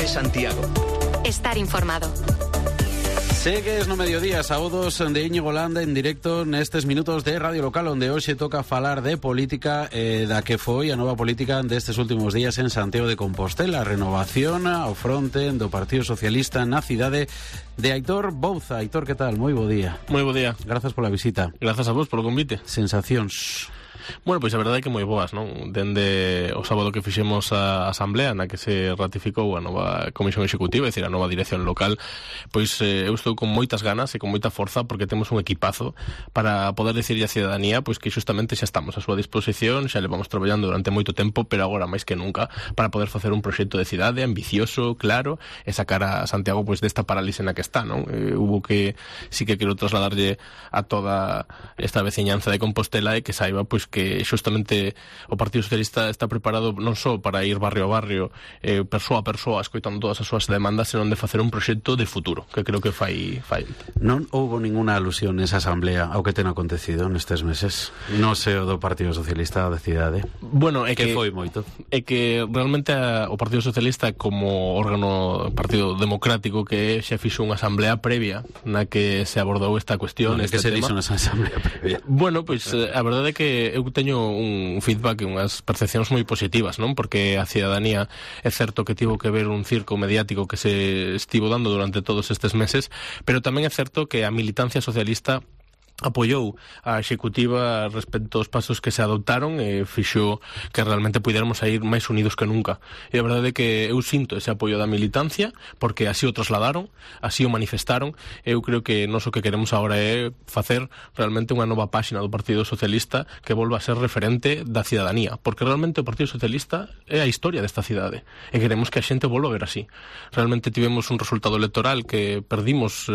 Cope Santiago. Estar informado. Segues no mediodía, sábados de Íñigo Landa en directo nestes minutos de Radio Local, onde hoxe toca falar de política, da que foi a nova política destes últimos días en Santiago de Compostela, a renovación ao fronte do Partido Socialista na cidade de Aitor Bouza. Aitor, que tal? Moi bo día. Moi bo día. Grazas pola visita. Grazas a vos polo convite. Sensacións? Bueno, pois a verdade é que moi boas, non? Dende o sábado que fixemos a asamblea na que se ratificou a nova comisión executiva, é dicir, a nova dirección local, pois eu estou con moitas ganas e con moita forza porque temos un equipazo para poder dicirlle á cidadanía pois que xustamente xa estamos a súa disposición, xa levamos traballando durante moito tempo, pero agora máis que nunca para poder facer un proxecto de cidade ambicioso, claro, e sacar a Santiago pois desta parálise na que está, non? Hubo que, sí que quero trasladarlle a toda esta veciñanza de Compostela e que saiba pois que xustamente o Partido Socialista está preparado non só para ir barrio a barrio, persoa a persoa, escoitando todas as súas demandas, senón de facer un proxecto de futuro, que creo que fai. Non houbo ninguna alusión nesa asamblea ao que ten acontecido nestes meses? No seo do Partido Socialista da cidade? Bueno, é que foi moito. É que realmente o Partido Socialista como órgano partido democrático que xa fixo unha asamblea previa na que se abordou esta cuestión, este tema. Que se dixo nesa asamblea previa? Bueno, pois a verdade é que eu teño un feedback e unhas percepcións moi positivas, non? Porque a cidadanía é certo que tivo que ver un circo mediático que se estivo dando durante todos estes meses, pero tamén é certo que a militancia socialista apoiou a executiva respecto aos pasos que se adoptaron e fixo que realmente puidéramos ir máis unidos que nunca. E a verdade é que eu sinto ese apoio da militancia porque así o trasladaron, así o manifestaron. Eu creo que nós o que queremos agora é facer realmente unha nova páxina do Partido Socialista que volva a ser referente da cidadanía, porque realmente o Partido Socialista é a historia desta cidade e queremos que a xente volva a ver así. Realmente tivemos un resultado electoral que perdimos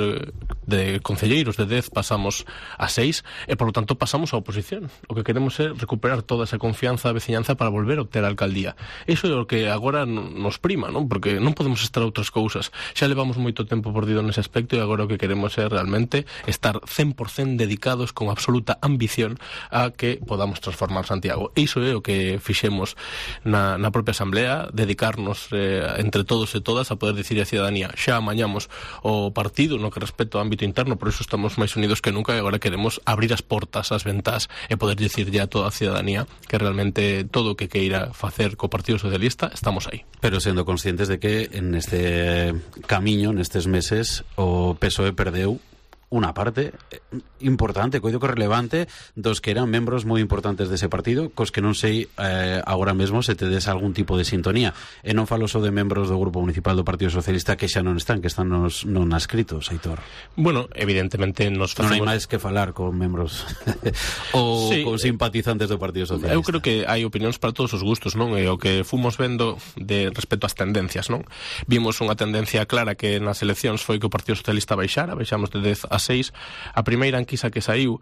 de concelleiros de 10 pasamos a 6 e, por lo tanto, pasamos á oposición. O que queremos é recuperar toda esa confianza da veciñanza para volver a obter a alcaldía. Iso é o que agora nos prima, non? Porque non podemos estar a outras cousas. Xa levamos moito tempo perdido nese aspecto e agora o que queremos é realmente estar 100% dedicados con absoluta ambición a que podamos transformar Santiago. Iso é o que fixemos na propia asamblea, dedicarnos entre todos e todas a poder dicir a cidadanía xa amañamos o partido no que respecta ao ámbito interno, por iso estamos máis unidos que nunca e agora queremos abrir as portas, as ventás e poder dicirlle a toda a cidadanía que realmente todo o que queira facer co Partido Socialista estamos aí. Pero sendo conscientes de que en este camiño, nestes meses, o PSOE perdeu unha parte importante, coido que relevante dos que eran membros moi importantes dese partido, cos que non sei agora mesmo se tedes algún tipo de sintonía, e non falo só de membros do Grupo Municipal do Partido Socialista que xa non están, que están non ascritos, Aitor. Bueno, evidentemente nos facemos... Non hai máis que falar con membros ou sí, con simpatizantes do Partido Socialista. Eu creo que hai opinións para todos os gustos, non? E o que fomos vendo de respecto ás tendencias, non? Vimos unha tendencia clara que nas eleccións foi que o Partido Socialista baixamos de 10 a 6. A primeira enquisa que saiu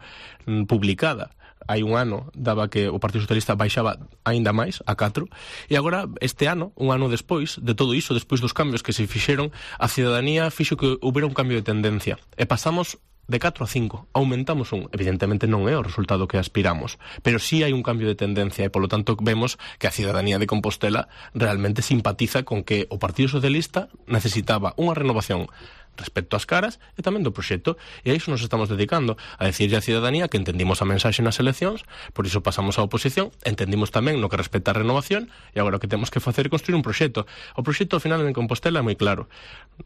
publicada hai un ano daba que o Partido Socialista baixaba aínda máis, a 4, e agora este ano, un ano despois de todo iso, despois dos cambios que se fixeron, a cidadanía fixo que houbera un cambio de tendencia e pasamos de 4 a 5, aumentamos un. Evidentemente non é o resultado que aspiramos, pero sí hai un cambio de tendencia e, polo tanto, vemos que a cidadanía de Compostela realmente simpatiza con que o Partido Socialista necesitaba unha renovación respecto ás caras e tamén do proxecto, e a iso nos estamos dedicando, a decirlle á cidadanía que entendimos a mensaxe nas eleccións, por iso pasamos á oposición, entendimos tamén no que respecta a renovación, e agora o que temos que facer é construir un proxecto. O proxecto ao final en Compostela é moi claro,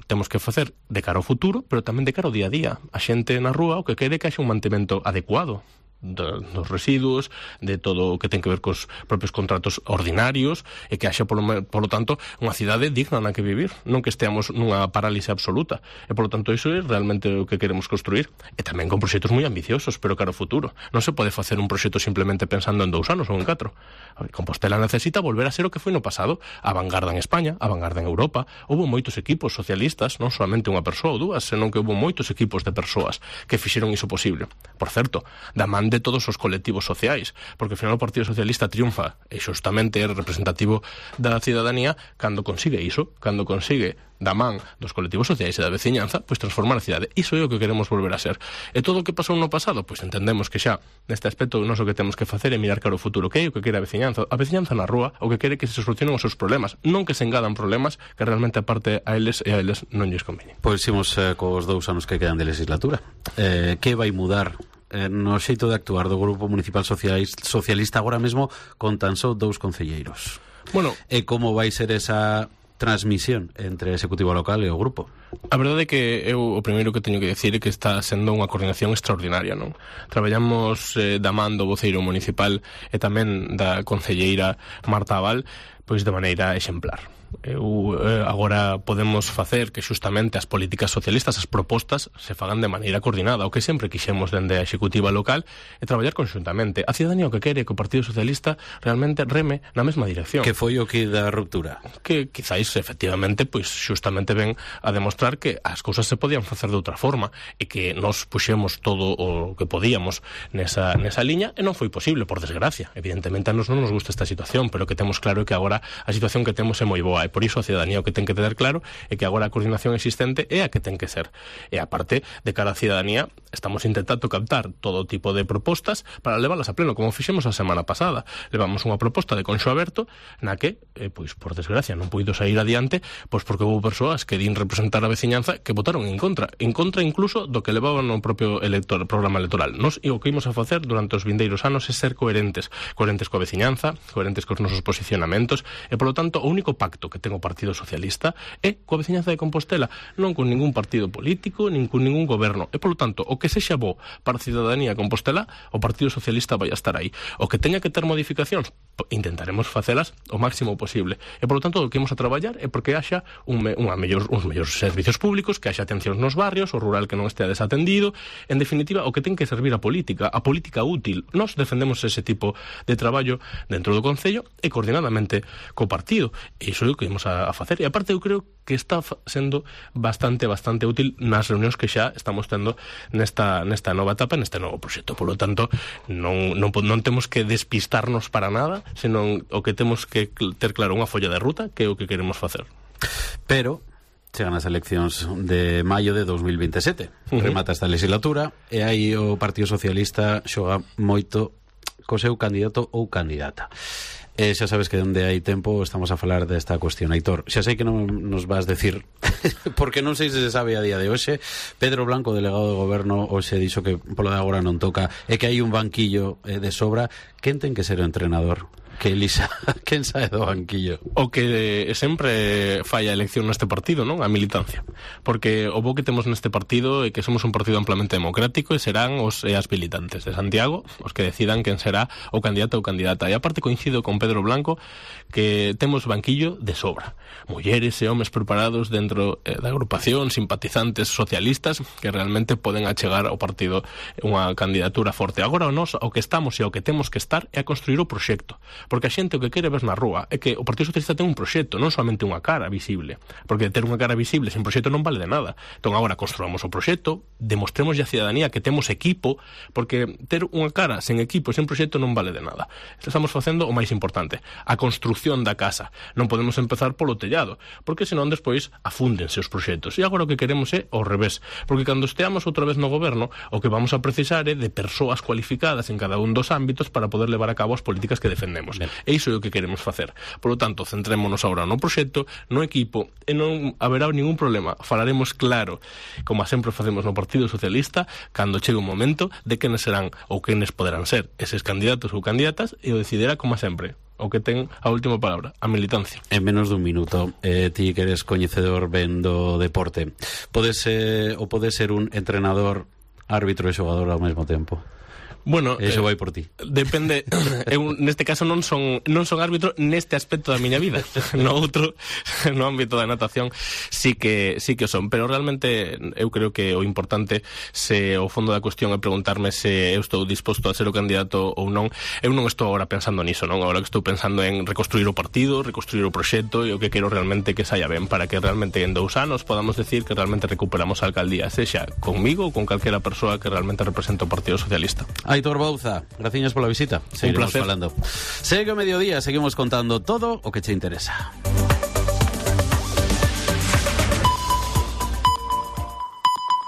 temos que facer de cara ao futuro, pero tamén de cara ao día a día. A xente na rúa o que quere que haxe un mantemento adecuado dos residuos, de todo o que ten que ver cos propios contratos ordinarios e que haxa, polo tanto, unha cidade digna na que vivir, non que esteamos nunha parálise absoluta. E, polo tanto, iso é realmente o que queremos construir. E tamén con proxectos moi ambiciosos, pero cara ao futuro. Non se pode facer un proxecto simplemente pensando en 2 anos ou en 4. Compostela necesita volver a ser o que foi no pasado, a vanguarda en España, a vanguarda en Europa. Houbo moitos equipos socialistas, non solamente unha persoa ou dúas, senón que houbo moitos equipos de persoas que fixeron iso posible. Por certo, da man de todos os colectivos sociais, porque ao final o Partido Socialista triunfa e xustamente é representativo da cidadanía cando consigue iso, cando consigue da man dos colectivos sociais e da veciñanza, pois transformar a cidade. Iso é o que queremos volver a ser. E todo o que pasou no pasado, pois entendemos que xa neste aspecto nós o que temos que facer é mirar cara ao futuro, que é o que quere a veciñanza. A veciñanza na rúa o que quere que se solucionen os seus problemas, non que se engadan problemas que realmente aparte a eles e a eles non lles convene. Pois imos cos 2 anos que quedan de legislatura. Que vai mudar no xeito de actuar do Grupo Municipal Socialista agora mesmo con tan só 2 concelleiros? Bueno, e como vai ser esa transmisión entre o Executivo local e o grupo? A verdade é que eu o primeiro que teño que decir é que está sendo unha coordinación extraordinaria, non? Traballamos da man do voceiro municipal e tamén da concelleira Marta Abal, pois de maneira exemplar. Agora podemos facer que xustamente as políticas socialistas, as propostas, se fagan de maneira coordinada, o que sempre quixemos dende a executiva local é traballar conxuntamente. A cidadanía o que quere é que o Partido Socialista realmente reme na mesma dirección. Que foi o que da ruptura? Que quizáis efectivamente pois xustamente ven a demostrar que as cousas se podían facer de outra forma e que nos puxemos todo o que podíamos nesa liña e non foi posible, por desgracia. Evidentemente a nos non nos gusta esta situación, pero que temos claro que agora a situación que temos é moi boa. E por iso a cidadanía o que ten que ter claro é que agora a coordinación existente é a que ten que ser. E aparte, de cara á cidadanía, estamos intentando captar todo tipo de propostas para leválas a pleno, como fixemos a semana pasada. Levamos unha proposta de conxo aberto na que, pois, por desgracia, non puido sair adiante, pois porque houve persoas que din representar a veciñanza que votaron en contra incluso do que levaban no propio programa electoral. Nos o que imos a facer durante os vindeiros anos é ser coherentes coa veciñanza, coherentes cos nosos posicionamentos, e, polo tanto, o único pacto que ten o Partido Socialista é coa veciñanza de Compostela, non con ningún partido político, nin con ningún goberno. E, polo tanto, o que sexa bo para a cidadanía de Compostela, o Partido Socialista vai a estar aí. O que teña que ter modificacións, intentaremos facelas o máximo posible. E, polo tanto, o que imos a traballar é porque haxa uns mellores servicios públicos, que haxa atencións nos barrios, o rural que non estea desatendido. En definitiva, o que ten que servir a política útil. Nós defendemos ese tipo de traballo dentro do Concello e coordinadamente co partido. E iso é o que imos a facer. E aparte eu creo que está sendo bastante útil nas reunións que xa estamos tendo nesta nova etapa, neste novo proxecto. Por lo tanto, non temos que despistarnos para nada, senón o que temos que ter claro unha folla de ruta, que é o que queremos facer. Pero chegan as eleccións de maio de 2027. Remata esta legislatura e aí o Partido Socialista xoga moito co seu candidato ou candidata. Xa sabes que onde hai tempo estamos a falar desta cuestión. Aitor, xa sei que non nos vas decir porque non sei se se sabe a día de hoxe. Pedro Blanco, delegado de goberno, hoxe dixo que polo de agora non toca e que hai un banquillo de sobra. Quen ten que ser o entrenador? Que elisa, quen sae do banquillo? O que sempre falla a elección neste partido, non? A militancia. Porque o bo que temos neste partido é que somos un partido amplamente democrático e serán os e as militantes de Santiago os que decidan quen será o candidato ou candidata. E aparte coincido con Pedro Blanco que temos banquillo de sobra. Mulleres e homes preparados dentro da agrupación, simpatizantes socialistas que realmente poden achegar ao partido unha candidatura forte. Agora nós o que estamos e o que temos que estar é a construir o proxecto. Porque a xente o que quere ver na rúa é que o Partido Socialista ten un proxecto, non somente unha cara visible. Porque ter unha cara visible sen proxecto non vale de nada. Entón agora construamos o proxecto, demostremos a cidadanía que temos equipo, porque ter unha cara sen equipo, sen proxecto non vale de nada. Estamos facendo o máis importante, a construción da casa. Non podemos empezar polo tellado, porque senón despois afúndense os proxectos. E agora o que queremos é ao revés, porque cando esteamos outra vez no goberno, o que vamos a precisar é de persoas cualificadas en cada un dos ámbitos para poder levar a cabo as políticas que defendemos. E iso é o que queremos facer. Por lo tanto, centrémonos agora no proxecto, no equipo, e non haberá ningún problema. Falaremos claro, como sempre facemos no Partido Socialista, cando chegue un momento de quenes serán ou quenes poderán ser eses candidatos ou candidatas, e o decidirá como sempre o que ten a última palabra, a militancia. En menos dun minuto, ti que eres coñecedor ben do deporte, pode ser un entrenador, árbitro e xogador ao mesmo tempo? Bueno, eso vai por ti. Depende, eu neste caso non son árbitro neste aspecto da miña vida. No outro, no ámbito da natación sí que o son, pero realmente eu creo que o importante, se o fondo da cuestión é preguntarme se eu estou disposto a ser o candidato ou non, eu non estou agora pensando niso, non? Agora que estou pensando en reconstruir o partido, reconstruir o proxecto, e o que quero realmente que saia ben, para que realmente en 2 anos podamos decir que realmente recuperamos a alcaldía, sexa conmigo ou con calquera persoa que realmente representa o Partido Socialista. Aitor Bouza, gracias pola visita. Un placer. Falando. Segue o mediodía, seguimos contando todo o que che interesa.